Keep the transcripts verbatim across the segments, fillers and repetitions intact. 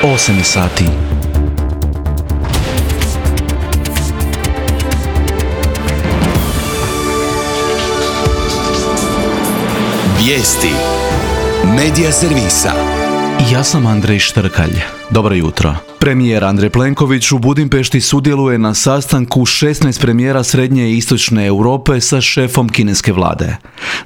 osam je sati. Vijesti Medija servisa. Ja sam Andrej Štrkalj. Dobro jutro. Premijer Andrej Plenković u Budimpešti sudjeluje na sastanku šesnaest premijera Srednje i Istočne Europe sa šefom kineske vlade.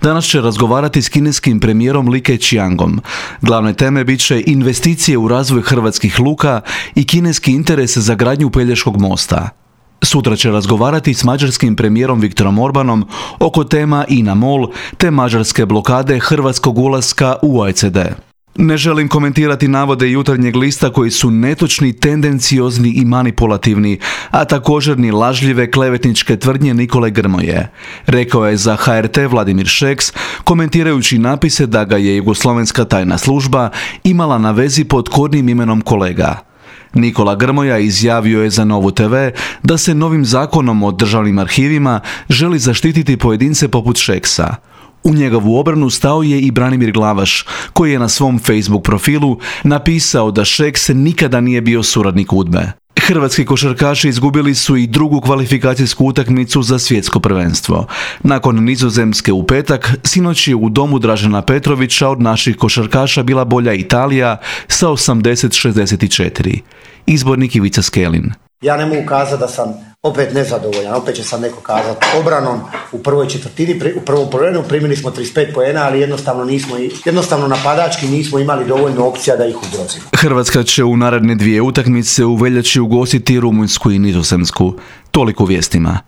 Danas će razgovarati s kineskim premijerom Li Keqiangom. Glavne teme bit će investicije u razvoj hrvatskih luka i kineski interes za gradnju Pelješkog mosta. Sutra će razgovarati s mađarskim premijerom Viktorom Orbanom oko tema INA-MOL te mađarske blokade hrvatskog ulaska u O E C D. Ne želim komentirati navode Jutarnjeg lista koji su netočni, tendenciozni i manipulativni, a također ni lažljive klevetničke tvrdnje Nikole Grmoje, rekao je za H R T Vladimir Šeks, komentirajući napise da ga je jugoslovenska tajna služba imala na vezi pod kodnim imenom kolega. Nikola Grmoja izjavio je za Novu te ve da se novim zakonom o državnim arhivima želi zaštititi pojedince poput Šeksa. U njegovu obranu stao je i Branimir Glavaš, koji je na svom Facebook profilu napisao da Šeks nikada nije bio suradnik UDBE. Hrvatski košarkaši izgubili su i drugu kvalifikacijsku utakmicu za svjetsko prvenstvo. Nakon Nizozemske u petak, sinoć je u domu Dražena Petrovića od naših košarkaša bila bolja Italija sa osamdeset šezdeset četiri. Izbornik Ivica Skelin. Ja ne mogu kazati da sam opet nezadovoljan, opet će sam neko kazati obranom u prvoj četvrtini, u prvom poluvremenu primili smo trideset pet poena, ali jednostavno nismo, jednostavno napadački nismo imali dovoljno opcija da ih ugrozimo. Hrvatska će u naredne dvije utakmice u veljači ugostiti Rumunjsku i Nizozemsku. Toliko vijestima.